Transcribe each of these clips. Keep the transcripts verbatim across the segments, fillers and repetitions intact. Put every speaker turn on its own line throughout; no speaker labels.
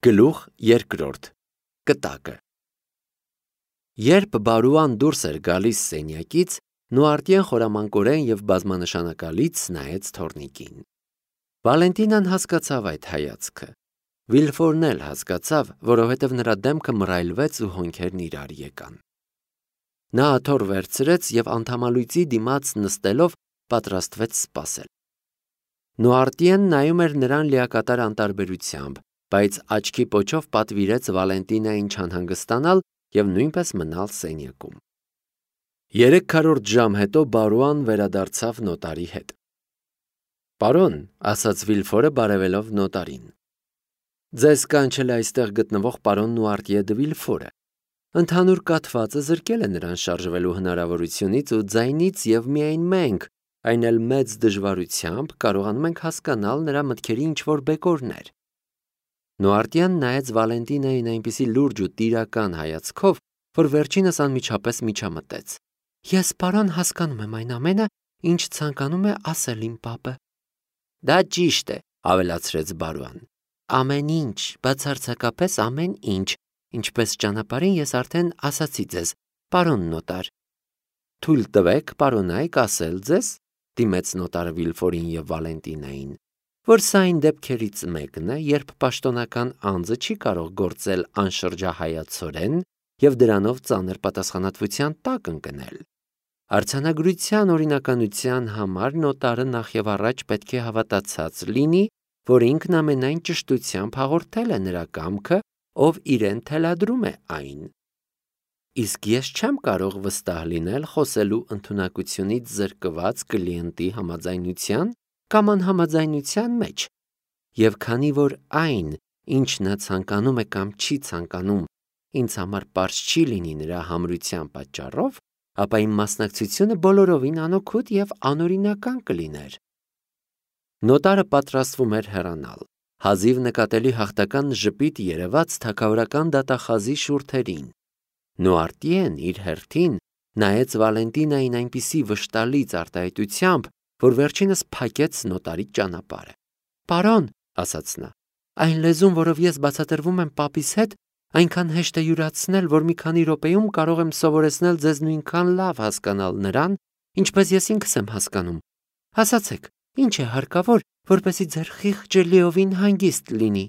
Գլուխ երկրորդ կտակը Երբ Բարուան դուրս էր գալիս սենյակից, Նուարտիեն խորամանկորեն և բազմանշանակալից նայեց թոռնիկին։ Վալենտինան հասկացավ այդ հայացքը։ Վիլֆորն էլ հասկացավ, որովհետև նրա դեմքը մռայլվեց ու հոնքերն իրար եկան։ Նա աթոռ վերցրեց և անդամալույծի դիմաց նստելով պատրաստվեց սպասել։ Նուարտիեն նայում էր նրան լիակատար անտարբերությամբ, բայց աչքի պոչով պատվիրեց Վալենտինային չանհանգստանալ և նույնպես մնալ սենյակում։ Երեք քառորդ ժամ հետո Բարուան վերադարձավ նոտարի հետ։ Պարոն, ասաց Վիլֆորը բարևելով նոտարին, ձեզ կանչել է այստեղ գտնվող պարոն Նուարտիե դը Վիլֆորը։ Ընդհանուր կաթվածը զրկել է նրան շարժվելու հնարավորությունից ու ձայնից և միայն մենք, այն էլ մեծ դժվարությամբ, կարողանում ենք հասկանալ նրա մտքերի ինչ-որ բեկորներ։ Նուարտիեն նայեց Վալենտինային այնպիսի լուրջ ու տիրական հայացքով, որ վերջինս անմիջապես միջամտեց։ Ես, պարոն, հասկանում եմ այն ամենը, ինչ ցանկանում է ասել իմ պապը։ Դա ճիշտ է, ավելացրեց Բարուան։ Ամեն ինչ, բացարձակապես ամեն ինչ, ինչպես ճանապարհին ես արդեն ասացի ձեզ, պարոն նոտար։ Թույլ տվեք, պարոնայք, ասել ձեզ, դիմեց նոտարը Վիլֆորին և Վալենտինային, որ սա այն դեպքերից մեկն է, երբ պաշտոնական անձը չի կարող գործել անշրջահայացորեն և դրանով ծանր պատասխանատվության տակ ընկնել։ Արձանագրության օրինականության համար նոտարը նախևառաջ պետք է հավատացած լինի, որ ինքն ամենայն ճշտությամբ հաղորդել է նրա կամքը, ով իրեն թելադրում է այն։ Իսկ ես չեմ կարող վստահ լինել խոսելու ընդունակությունից զրկված կլիենտի համաձայնության կամ անհամաձայնության մեջ, և քանի որ այն, ինչ նա ցանկանում է կամ չի ցանկանում, ինձ համար պարզ չի լինի նրա համրության պատճառով, ապա իմ մասնակցությունը բոլորովին անօգուտ և անօրինական կլիներ։ Նոտարը պատրաստվում էր հեռանալ, հազիվ նկատելի հաղթական ժպիտ երևաց թագավորական դատախազի շուրթերին։ Նուարտիեն իր հերթին նայեց Վալենտինային այնպիսի վշտալից արտահայտությամբ, որ վերջինս փակեց նոտարի ճանապարհը։ Պարոն, ասաց նա, այն լեզուն, որով ես բացատրվում եմ պապիս հետ, այնքան հեշտ է յուրացնել, որ մի քանի րոպեում կարող եմ սովորեցնել ձեզ նույնքան լավ հասկանալ նրան, ինչպես ես ինքս եմ հասկանում։ Ասացեք, ինչ է հարկավոր, որպեսզի ձեր խիղճը լիովին հանգիստ լինի։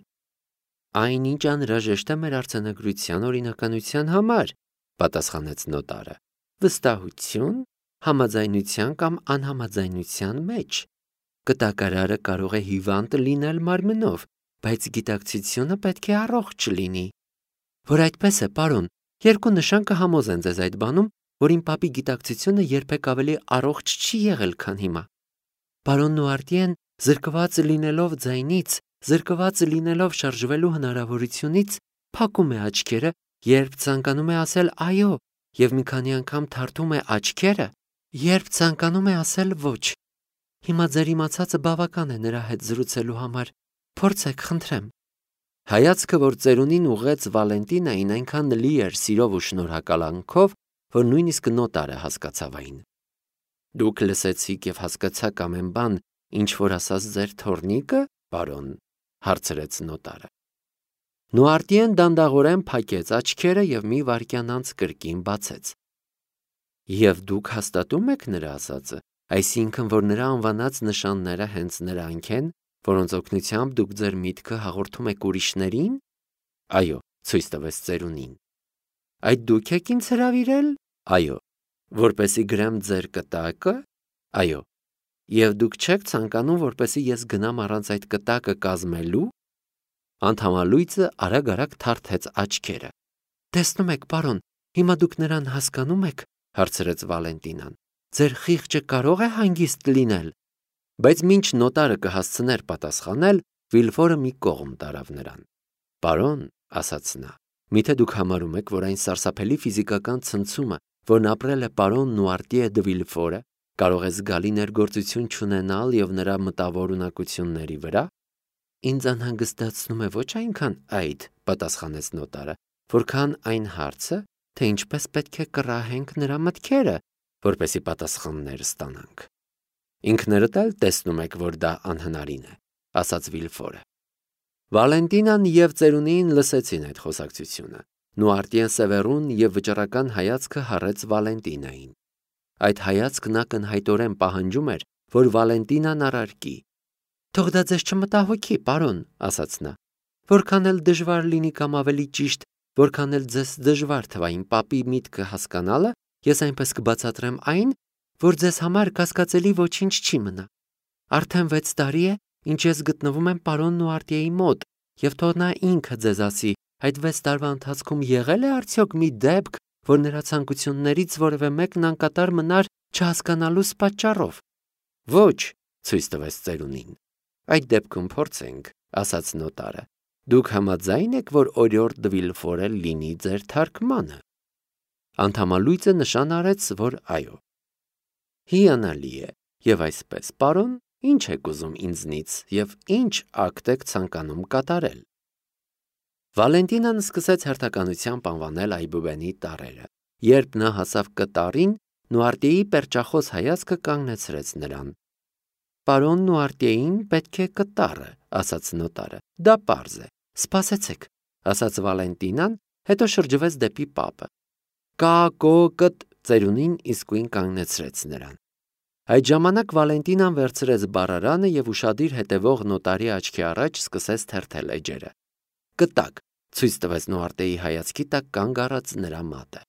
Այնինչ անհրաժեշտ է մեր արձանագրության օրինականության համար, պատասխանեց նոտարը, վստահություն, համաձայնության կամ անհամաձայնության մեջ։ Կտակարարը կարող է հիվանդ լինել մարմնով, բայց գիտակցությունը պետք է առողջ լինի։ Որ այդպես է, պարոն, երկու նշան կհամոզեն ձեզ այդ բանում, որ իմ պապի գիտակցությունը երբեք ավելի առողջ չի եղել, քան հիմա։ Պարոն Նուարտիեն, զրկված լինելով ձայնից, զրկված լինելով շարժվելու հնարավորությունից, փակում է աչքերը, երբ ցանկանում է ասել այո, և մի քանի անգամ թարթում է աչքերը, երբ ցանկանում է ասել ոչ։ Հիմա ձեր իմացածը բավական է նրա հետ զրուցելու համար։ Փորձեք, խնդրեմ։ Հայացքը, որ ծերունին ուղղեց Վալենտինային, այնքան լի էր սիրով ու շնորհակալանքով, որ նույնիսկ նոտարը հասկացավ այն։ Դուք լսեցիք և հասկացաք ամեն բան, ինչ որ ասաց ձեր թոռնիկը, պարոն, հարցրեց նոտարը։ Նուարտիեն դանդաղորեն փակեց աչքերը և մի վայրկյան անց կրկին բացեց։ Եվ դուք հաստատում եք նրա ասածը, այսինքն, որ նրա անվանած նշանները հենց նրանք են, որոնց օգնությամբ դուք ձեր միտքը հաղորդում եք ուրիշներին։ Այո, ցույց տվեց ծերունին։ Այդ դուք եք ինձ հրավիրել։ Այո, որպեսզի գրեմ ձեր կտակը։ Այո, և դուք չեք ցանկանում, որպեսզի ես գնամ առանց այդ կտակը կազմելու։ Անդամալույծը արագ-արագ թարթեց աչքերը։ Տեսնում եք, պարոն, հիմա դուք նրան հասկանում եք, հարցրեց Վալենտինան։ Ձեր խիղճը կարող է հանգիստ լինել։ Բայց մինչ նոտարը կհասցներ պատասխանել, Վիլֆորը մի կողմ տարավ նրան։ Պարոն, ասաց նա, միթե դուք համարում եք, որ այն սարսափելի ֆիզիկական ցնցումը, որն ապրել է պարոն Նուարտիե դը Վիլֆորը, կարող է զգալի ներգործություն չունենալ և նրա մտավոր ունակությունների վրա։ Ինձ անհանգստացնում է ոչ այնքան այդ, պատասխանեց նոտարը, որքան այն հարցը, թե ինչպես պետք է կռահենք նրա մտքերը, որպեսզի պատասխաններ ստանանք։ Ինքներդ էլ տեսնում եք, որ դա անհնարին է, ասաց Վիլֆորը։ Վալենտինան և ծերունին լսեցին այդ խոսակցությունը։ Նուարտիեն Սևեռուն և վճռական հայացքը հառեց Վալենտինային։ Այդ հայացքն ակնհայտորեն պահանջում էր, որ Վալենտինան առարկի։ «Թող դա ձեզ չմտահոգի, պարոն», ասաց նա։ «Որքան էլ դժվար լինի կամ ավելի ճիշտ, որքան էլ ձեզ դժվար թվա իմ պապի միտքը հասկանալը, ես այնպես կբացատրեմ այն, որ ձեզ համար կասկածելի ոչինչ չի մնա։ Արդեն վեց տարի է, ինչ ես գտնվում եմ պարոն Նուարտիեի մոտ, և թող նա ինքը ձեզ ասի, այդ վեց տարվա ընթացքում եղե՞լ է արդյոք մի դեպք, որ նրա ցանկություններից որևէ մեկն անկատար մնար չհասկանալուս պատճառով»։ «Ոչ», ցույց տվեց ծերունին։ «Այդ դեպքում փորձենք», ասաց նոտարը։ «Դուք համաձայն եք, որ օրիորդ դը Վիլֆորը լինի ձեր թարգմանը»։ Անդամալույծը նշան արեց, որ այո։ «Հիանալի է, և այսպես, պարոն, ինչ եք ուզում ինձնից և ինչ ակտ եք ցանկանում կատարել»։ Վալենտինան սկսեց հերթականությամբ անվանել այբուբենի տառերը։ Երբ նա հասավ կտառին, Նուարտիեի պերճախոս հայացքը կանգնեցրեց նրան։ «Պարոն Նուարտիեին պետք է կտառը», ասաց նոտարը։ «Դա պարզ է։ Սպասեցեք», ասաց Վալենտինան, հետո շրջվեց դեպի պապը։ «Կա-կո-կտ» ծերունին իսկույն կանգնեցրեց նրան։ Այդ ժամանակ Վալենտինան վերցրեց բառարանը և ուշադիր հետևող նոտարի աչքի առաջ սկսեց թերթել էջերը։ «Կտակ», ցույց տվեց Նուարտիեի հայացքի տակ կանգ առած նրա մատը։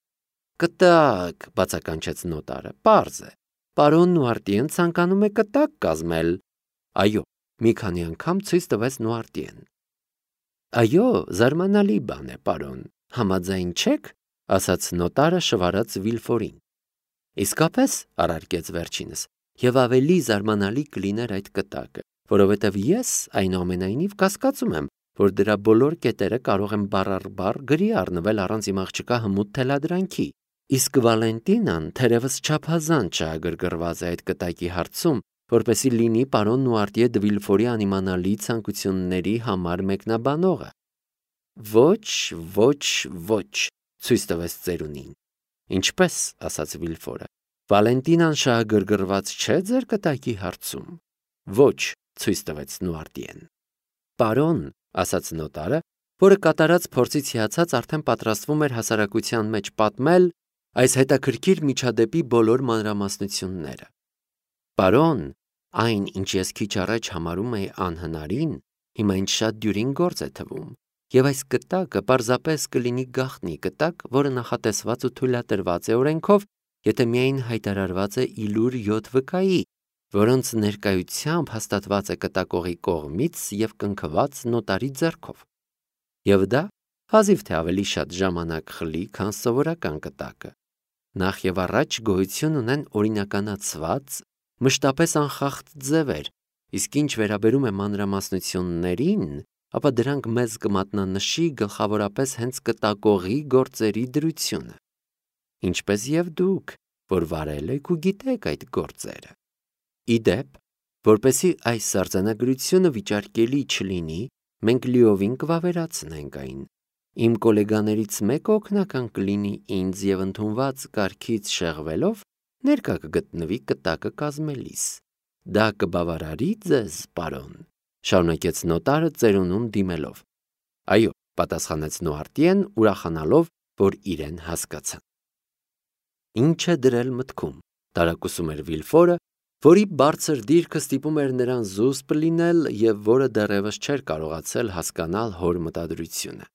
«Կտակ», բացականչեց նոտարը, «պարզ է։ Պարոն Նուարտիեն ցանկանում է կտակ կազմել»։ «Այո», մի քանի անգամ ցույց տվեց Նուարտիեն։ «Այո, զարմանալի բան է, պարոն, համաձայն չե՞ք», ասաց նոտարը շվարած Վիլֆորին։ «Իսկապես», առարկեց վերջինս, «և ավելի զարմանալի կլիներ այդ կտակը, որովհետև ես այնուամենայնիվ կասկածում եմ, որ դրա բոլոր կետերը կարող են բառ առ բառ գրի առնվել առանց իմ աղջկա հմուտ թելադրանքի։ Իսկ Վալենտինան թերևս չափազանց շահագրգռված է այդ կտակի հարցում, որպեսզի լինի պարոն Նուարտիե դը Վիլֆորի անիմանալի ցանկությունների համար մեկնաբանողը»։ «Ոչ, ոչ, ոչ», ցույց տվեց ծերունին։ «Ինչպե՞ս», ասաց Վիլֆորը։ «Վալենտինան շահագրգռված չէ ձեր կտակի հարցում»։ «Ոչ», ցույց տվեց Նուարտիեն։ «Պարոն», ասաց նոտարը, որը կատարած փորձից հիացած արդեն պատրաստվում էր հասարակության մեջ պատմել այս հետաքրքիր միջադեպի բոլոր մանրամասնությունները։ «Պարոն, այն, ինչ ես քիչ առաջ համարում էի անհնարին, հիմա ինձ շատ դյուրին գործ է թվում, և այս կտակը պարզապես կլինի գաղտնի կտակ, որը նախատեսված ու թույլատրված է օրենքով, եթե միայն հայտարարված է ի լուր յոթ վկայի, որոնց ներկայությամբ հաստատված է կտակողի կողմից և կնքված նոտարի ձեռքով։ Եվ դա հազիվ թե ավելի շատ ժամանակ խլի, քան սովորական կտակը։ Նախ և առաջ գոյություն ունեն օրինականացված, մշտապես անխախտ ձևեր, իսկ ինչ վերաբերում է մանրամասնություններին, ապա դրանք մեզ կմատնանշի գլխավորապես հենց կտակողի գործերի դրությունը, ինչպես և դուք, որ վարել եք ու գիտեք այդ գործերը։ Ի դեպ, որպեսզի այս արձանագրությունը վիճարկելի չլինի, մենք լիովին կվավերացնենք այն։ Իմ գոլեգաներից մեկը օգնական կլինի ինձ և ընդունված կարգից շեղվելով ներկա կգտնվի կտակը կազմելիս։ Դա կբավարարի ձեզ, պարոն, շարունակեց նոտարը ծերունուն դիմելով։ «Այո», պատասխանեց Նուարտիեն, ուրախանալով, որ իրեն հասկացան։ «Ինչ է դրել մտքում», տարակուսում էր Վիլֆորը, որի բարձր դիրքը ստիպում էր նրան զուսպ լինել և որը դեռևս չէր կարողացել հասկանալ հոր մտադրությունը։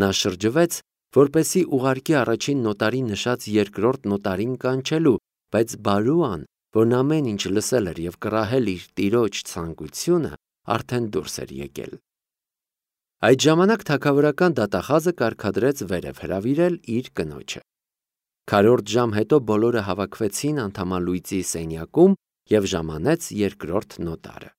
Նա շրջվեց, որպեսզի ուղարկի առաջին նոտարի նշած երկրորդ նոտարին կանչելու, բայց Բարուան, որն ամեն ինչ լսել էր և կռահել իր տիրոջ ցանկությունը, արդեն դուրս էր եկել։ Այդ ժամանակ թագավորական դատախազը կարգադրեց վերև հրավիրել իր կնոջը։ Քառորդ ժամ հետո բոլորը հավաքվեցին անդամալույծի սենյակում և ժամանեց երկրորդ նոտարը։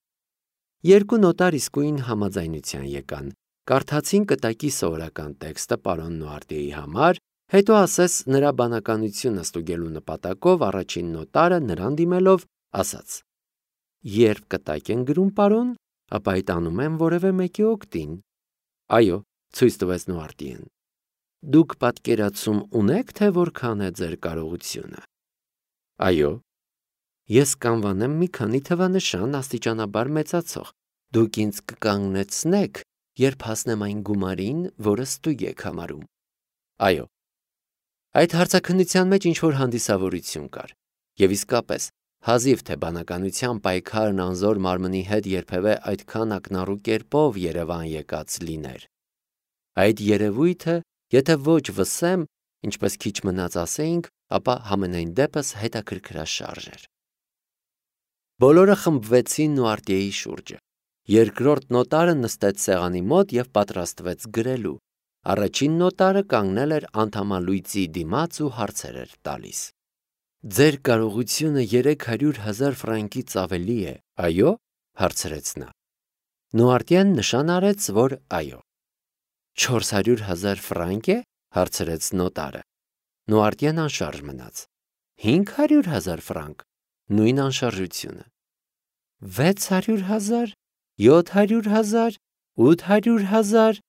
Երկու նոտար իսկույն համաձայնության եկան, կարդացին կտակի սովորական տեքստը պարոն Նուարտիեի համար, հետո ասես նրա բանականությունը ստուգելու նպատակով առաջին նոտարը նրան դիմելով ասաց. «Երբ կտակ են գրում, պարոն, ապա այդ անում են որևէ մեկի օգտին»։ «Այո», ցույց տվեց Նուարտիեն։ «Դուք պատկերացում ունե՞ք, թե որքան է ձեր կարողությունը»։ «Այո»։ «Ես կանվանեմ մի քանի թվանշան աստիճանաբար մեծացող։ Դուք ինձ կկանգնեցնե՞ք երբ հասնեմ այն գումարին, որը ստույգ եք համարում։ Այո։ Այդ հարցաքննության մեջ ինչ-որ հանդիսավորություն կար, և իսկապես, հազիվ թե բանականության պայքարն անզոր մարմնի հետ երբևէ այդքան ակնառու կերպով Երևան եկած լիներ։ Այդ երևույթը, եթե ոչ վսեմ, ինչպես քիչ մնաց ասեինք, ապա համենայն դեպս հետաքրքրաշարժ էր։ Բոլորը խմբվեցին Նուարտիեի շուրջը։ Երկրորդ նոտարը նստեց սեղանի մոտ և պատրաստվեց գրելու։ Առաջին նոտարը կանգնել էր անդամալույծի դիմաց ու հարցեր էր տալիս։ Ձեր կարողությունը երեք հարյուր հազար ֆրանկից ավելի է, այո՞, հարցրեց նա։ Նուարտիեն նշան արեց, որ այո։ Չորս հարյուր հազար ֆրանկ է, հարցրեց նոտարը։ Նուարտիեն անշարժ մնաց։ Հինգ հարյուր հազար ֆրանկ, նույն անշարժությունը։ Վեց հարյուր հազար, յոթ հարյուր հազար, ութ հարյուր հազար,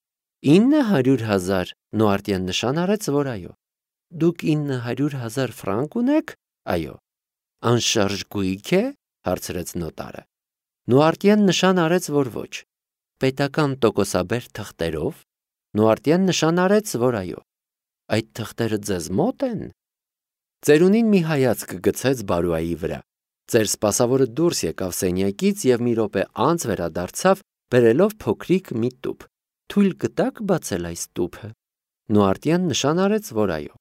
ինը հարյուր հազար, Նուարտիեն նշան արեց, որ այո։ Դուք ինը հարյուր հազար ֆրանկ ունեք, այո։ Անշարժ գույք է, հարցրեց նոտարը։ Նուարտիեն նշան արեց, որ ոչ։ Պետական տոկոսաբեր թղթերով, Նուարտիեն նշան արեց, որ այո։ Այդ թղթերը ձեզ մոտ են։ Ծերունին մի հայացք գցեց Բարոյայի վրա։ Ծեր սպասավորը դուրս եկավ սենյակից և մի րոպե անց վերադարձավ, բերելով փոքրիկ մի տուփ։ Թույլ կտաք բացել այս տուփը։ Նուարտիեն նշան արեց, որ այո։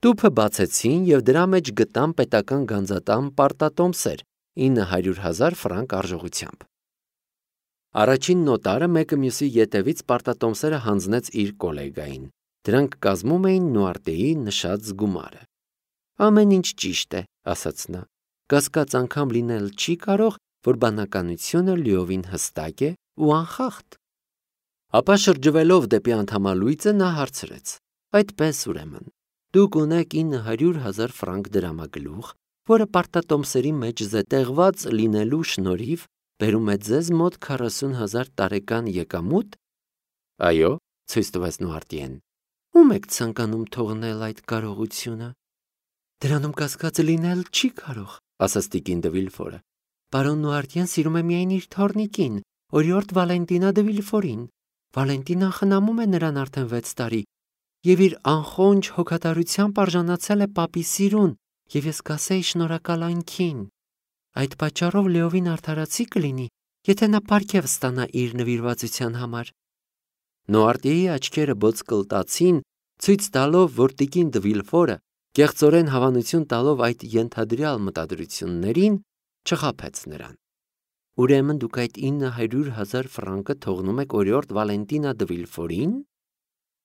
Տուփը բացեցին և դրա մեջ գտան պետական գանձատան պարտատոմսեր ինը հարյուր հազար ֆրանկ արժողությամբ։ Առաջին նոտարը մեկը մյուսի ետևից պարտատոմսերը հանձնեց իր կոլեգային։ Դրանք կազմում էին Նուարտիեի նշած գումարը։ Ամեն ինչ ճիշտ է, ասաց նա։ Կասկած անգամ լինել չի կարող, որ բանականությունը լիովին հստակ է ու անխախտ։ Ապա շրջվելով դեպի անդամալույծը նա հարցրեց. Այդպես ուրեմն, դուք ունեք ինը հարյուր հազար ֆրանկ դրամագլուխ, որը պարտատոմսերի մեջ զետեղված լինելու շնորհիվ բերում է ձեզ մոտ քառասուն հազար տարեկան եկամուտ։ Այո, ցույց տվեց Նուարտիեն։ Ում եք ցանկանում թողնել այդ կարողությունը։ Դրանում կասկած լինել չի կարող, ասաց տիկին դը Վիլֆորը։ Պարոն Նուարտիեն սիրում է միայն իր թոռնիկին, օրիորդ Վալենտինա դը Վիլֆորին։ Վալենտինան խնամում է նրան արդեն վեց տարի, և իր անխոնջ հոգատարությամբ արժանացել է պապի սիրուն, և ես կասեի շնորհակալ այնքին։ Այդ պատճառով լիովին արդարացի կլինի, եթե նա պարգև ստանա իր նվիրվածության համար։ Նուարտիեի աչքերը բոցկլտացին, ցույց տալով, որ տիկին դը Վիլֆորը, կեղծորեն հավանություն տալով այդ ենթադրյալ մտադրություններին, չխաբեց նրան։ Ուրեմն դուք այդ ինը հարյուր հազար ֆրանկը թողնում եք օրիորդ Վալենտինա դը Վիլֆորին,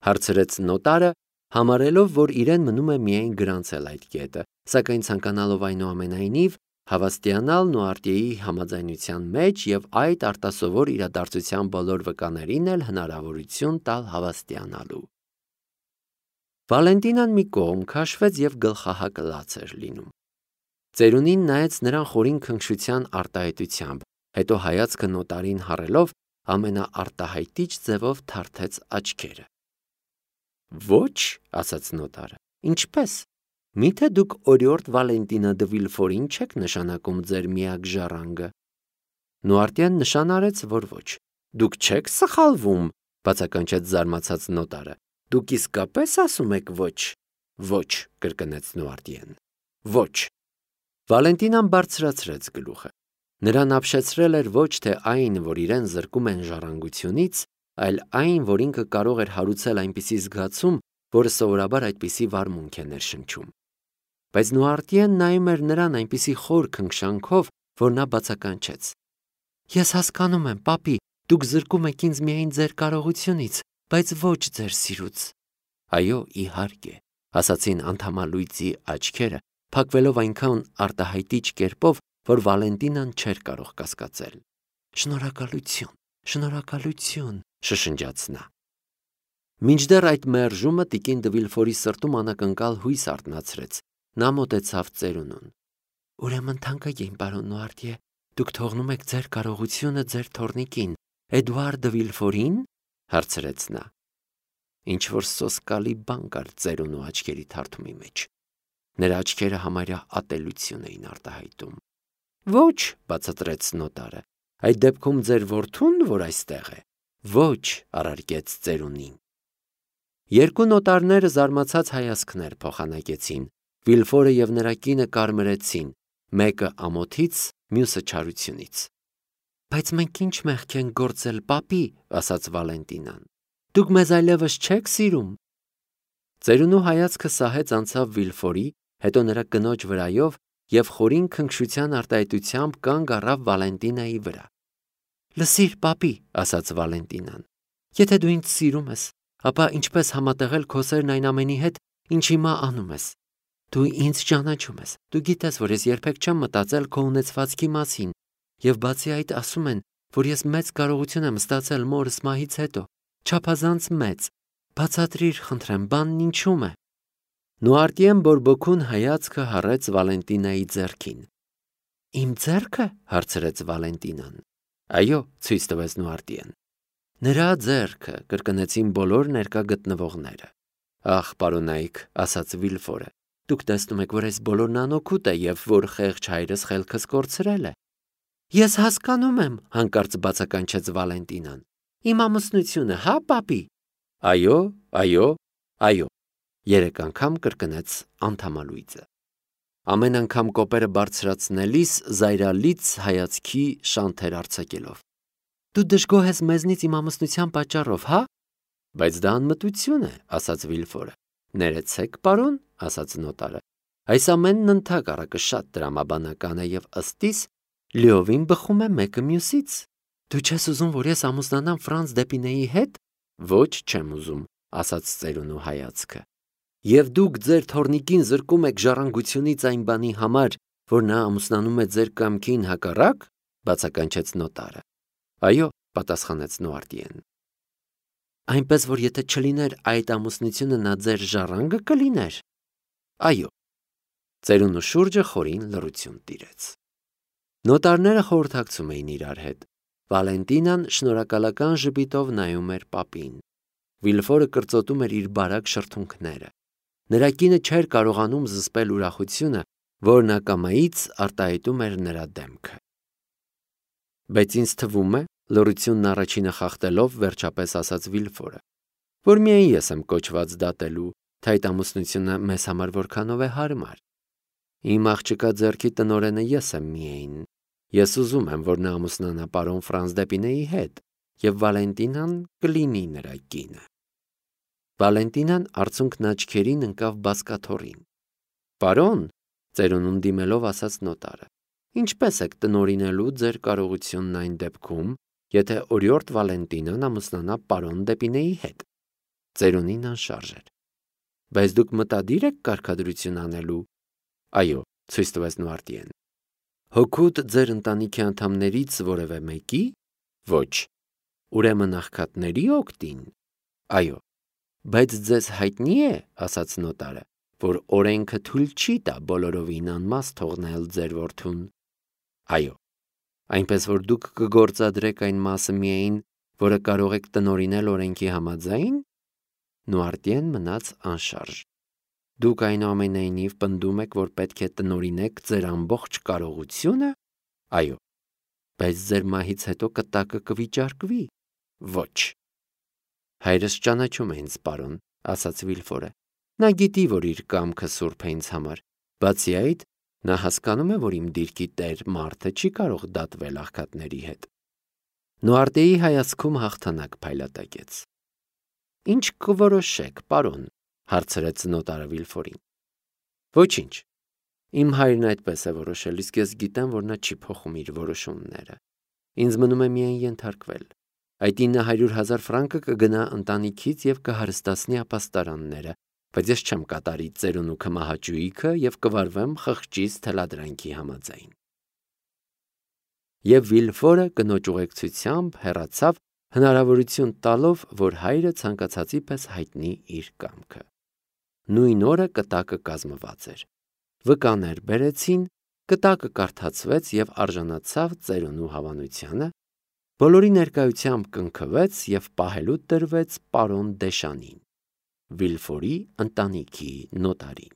հարցրեց նոտարը, համարելով, որ իրեն մնում է միայն գրանցել այդ կետը, սակայն ցանկանալով այնուամենայնիվ հավաստիանալ Նուարտիեի համաձայնության մեջ և այդ արտասովոր իրադարձության բոլոր վկաներին էլ հնարավորություն տալ հավաստիանալու։ Վալենտինան մի կողմ քաշվեց և գլխահակ լաց էր լինում։ Ծերունին նայեց նրան խորին քնքշության արտահայտությամբ, հետո հայացքը նոտարին հառելով ամենաարտահայտիչ ձևով թարթեց աչքերը։ Ոչ, ասաց նոտարը, ինչպես։ Միթե դուք օրիորդ Վալենտինա դը Վիլֆորին չեք նշանակում ձեր միակ ժառանգը։ Նուարտիեն նշան արեց, որ ոչ։ Դուք չեք սխալվում, բացականչեց զարմացած նոտարը։ Դուք իսկապես ասում եք ոչ։ Ոչ, կրկնեց Նուարտիեն։ Ոչ։ Վալենտինան բարձրացրեց գլուխը։ Նրան ապշեցրել էր ոչ թե այն, որ իրեն զրկում են ժառանգությունից, այլ այն, որ ինքը կարող էր հարուցել այնպիսի զգացում, որը սովորաբար այդպիսի վարմունք է ներշնչում։ Բայց Նուարտիեն նայում էր նրան այնպիսի խոր քնքշանքով, որ նա բացականչեց։ Ես հասկանում եմ, պապի, դուք զրկում եք ինձ միայն ձեր կարողությունից, բայց ոչ ձեր սիրուց։ Այո, իհարկե, ասացին անդամալույծի աչքերը, փակվելով այնքան արտահայտիչ կերպով, որ Վալենտինան չէր կարող կասկածել։ Շնորհակալություն, շնորհակալություն, շշնջաց նա։ Մինչդեռ այդ մերժումը տիկին դը Վիլֆորի սրտում անակնկալ հույս արթնացրեց։ Նա մոտեցավ ծերունուն։ Ուրեմն թանկագին պարոն Նուարտիե, դուք թողնում եք ձեր կարողությունը ձեր թոռնիկին, Էդուարդ դը Վիլֆորին, հարցրեց նա։ Ինչ որ սոսկալի բան կար ծերունու աչքերի թարթումի մեջ։ Նրա աչքերը համարյա ատելություն էին արտահայտում։ Ոչ, բացատրեց նոտարը, այդ դեպքում ձեր որդուն, որ այստեղ է, Ոչ, առարկեց ծերունին։ Երկու նոտարները զարմացած հայացքներ փոխանակեցին, Վիլֆորը և նրա կինը կարմրեցին, մեկը ամոթից, մյուսը չարությունից։ Բայց մենք ինչ մեղք ենք գործել, պապի, ասաց Վալենտինան։ Դուք մեզ այլևս չեք սիրում։ Ծերունու հայացքը սահեց անցավ Վիլֆորի, հետո նրա կնոջ վրայով և խորին քնքշության արտահայտությամբ կանգ առավ Վալենտինայի վրա։ Լսիր, պապի, ասաց Վալենտինան, եթե դու ինձ սիրում ես, ապա ինչպես համատեղել քո սերն այն ամենի հետ, ինչ հիմա անում ես։ Դու ինձ ճանաչում ես, դու գիտես, որ ես երբեք չեմ մտածել քո ունեցվածքի մասին, և բացի այդ ասում են, որ ես մեծ կարողություն եմ ստացել մորս մահից հետո, չափազանց մեծ։ Բացատրիր, խնդրեմ, բանն ինչում է։ Նուարտիեն բորբոքուն հայացքը հառեց Վալենտինայի ձեռքին։ Իմ ձեռքը, հարցրեց Վալենտինան։ Այո, ցույց տվեց Նուարտիեն։ Նրա ձեռքը, կրկնեցին բոլոր ներկա գտնվողները։ Ախ, պարոնայք, ասաց Վիլֆորը, դուք տեսնում եք, որ այս բոլորն անօգուտ է և որ խեղճ հայրս խելքս կորցրել է։ Ես հասկանում եմ, հանկարծ բացականչեց Վալենտինան։ Իմ ամուսնությունը, հա, պապի։ Այո, այո, այո, երեք անգամ կրկնեց անդամալույձը։ Ամեն անգամ կոպերը բարձրացնելիս զայրալից հայացքի շանթեր արձակելով։ Դու դժգոհ ես մեզնից իմ ամուսնության պատճառով, հա։ Բայց դա անմտություն է, ասաց Վիլֆորը։ Ներեցեք, պարոն, ասաց նոտարը։ Այս ամենն ընդհակառակը շատ տրամաբանական է և ըստիս լիովին բխում է մեկը մյուսից։ Դու չես ուզում, որ ես ամուսնանամ Ֆրանց Դեպինեի հետ։ Ոչ, չեմ ուզում, ասաց ծերունու հայացքը։ Եվ դուք ձեր թոռնիկին զրկում եք ժառանգությունից այն բանի համար, որ նա ամուսնանում է ձեր կամքին հակառակ, բացականչեց նոտարը։ Այո, պատասխանեց Նուարտիեն։ Այնպես որ եթե չլիներ այդ ամուսնությունը, նա ձեր ժառանգը կլիներ։ Այո։ Ծերունու շուրջը խորին լռություն տիրեց։ Նոտարները խորհրդակցում էին իրար հետ։ Վալենտինան շնորհակալական ժպիտով նայում էր պապին։ Վիլֆորը կրծոտում էր իր բարակ շրթունքները։ Նրա կինը չէր կարողանում զսպել ուրախությունը, որն ակամայից արտահայտում էր նրա դեմքը։ Բայց ինձ թվում է, լռությունն առաջինը խախտելով վերջապես ասաց Վիլֆորը, որ միայն ես եմ կոչված դատելու, թե այդ ամուսնությունը մեզ համար որքանով է հարմար։ Իմ աղջկա ձեռքի տնօրենը ես եմ միայն։ Ես ուզում եմ, որ նա ամուսնանա պարոն Ֆրանց Դեպինեի հետ, և Վալենտինան կլինի նրա կինը։ Վալենտինան արցունքն աչքերին ընկավ բազկաթոռին։ Պարոն, ծերունուն դիմելով ասաց նոտարը, ինչպես եք տնօրինելու ձեր կարողությունն այն դեպքում, եթե օրիորդ Վալենտինան ամուսնանա պարոն Դեպինեի հետ։ Ծերունին անշարժ էր։ Բայց դուք մտադիր եք կարգադրություն անելու։ Այո, ցույց տվեց Նուարտիեն։ Հօգուտ ձեր ընտանիքի անդամներից որևէ մեկի։ Ոչ։ Ուրեմն աղքատների օգտին։ Այո։ Բայց ձեզ հայտնի է, ասաց նոտարը, որ օրենքը թույլ չի տա բոլորովին անմաս թողնել ձեր որդուն։ Այո։ Այնպես որ դուք կգործադրեք այն մասը միայն, որը կարող եք տնօրինել օրենքի համաձայն։ Նուարտիեն մնաց անշարժ։ Դուք այնուամենայնիվ պնդում եք, որ պետք է տնօրինեք ձեր ամբողջ կարողությունը։ Այո։ Բայց ձեր մահից հետո կտակը կվիճարկվի։ Ոչ։ Հայրս ճանաչում է ինձ, պարոն, ասաց Վիլֆորը։ Նա գիտի, որ իր կամքը սուրբ է ինձ համար։ Բացի այդ, նա հասկանում է, որ իմ դիրքի տեր մարդը չի կարող դատվել աղքատների հետ։ Նուարտիեի հայացքում հաղթանակ փայլատակեց։ Ինչ կորոշեք, պարոն, հարցրեց նոտարը Վիլֆորին։ Ոչինչ։ Իմ հայրն այդպես է որոշել, իսկ ես գիտեմ, որ նա չի փոխում իր որոշումները։ Ինձ մնում է միայն ենթարկվել։ Այդ ինը հարյուր հազար ֆրանկը կգնա ընտանիքից և կհարստացնի ապաստարանները, բայց ես չեմ կատարի ծերունու քմահաճույքը և կվարվեմ խղճիս թելադրանքի համաձայն։ Եվ Վիլֆորը կնոջ ուղեկցությամբ հեռացավ, հնարավորություն տալով, որ հայրը ցանկացածի պես հայտնի իր կամքը։ Նույն օրը կտակը կազմված էր։ Վկաներ բերեցին, կտակը կարդացվեց և արժանացավ ծերունու հավանությանը, բոլորի ներկայությամբ կնքվեց և պահելու տրվեց պարոն Դեշանին, Վիլֆորի ընտանիքի նոտարին։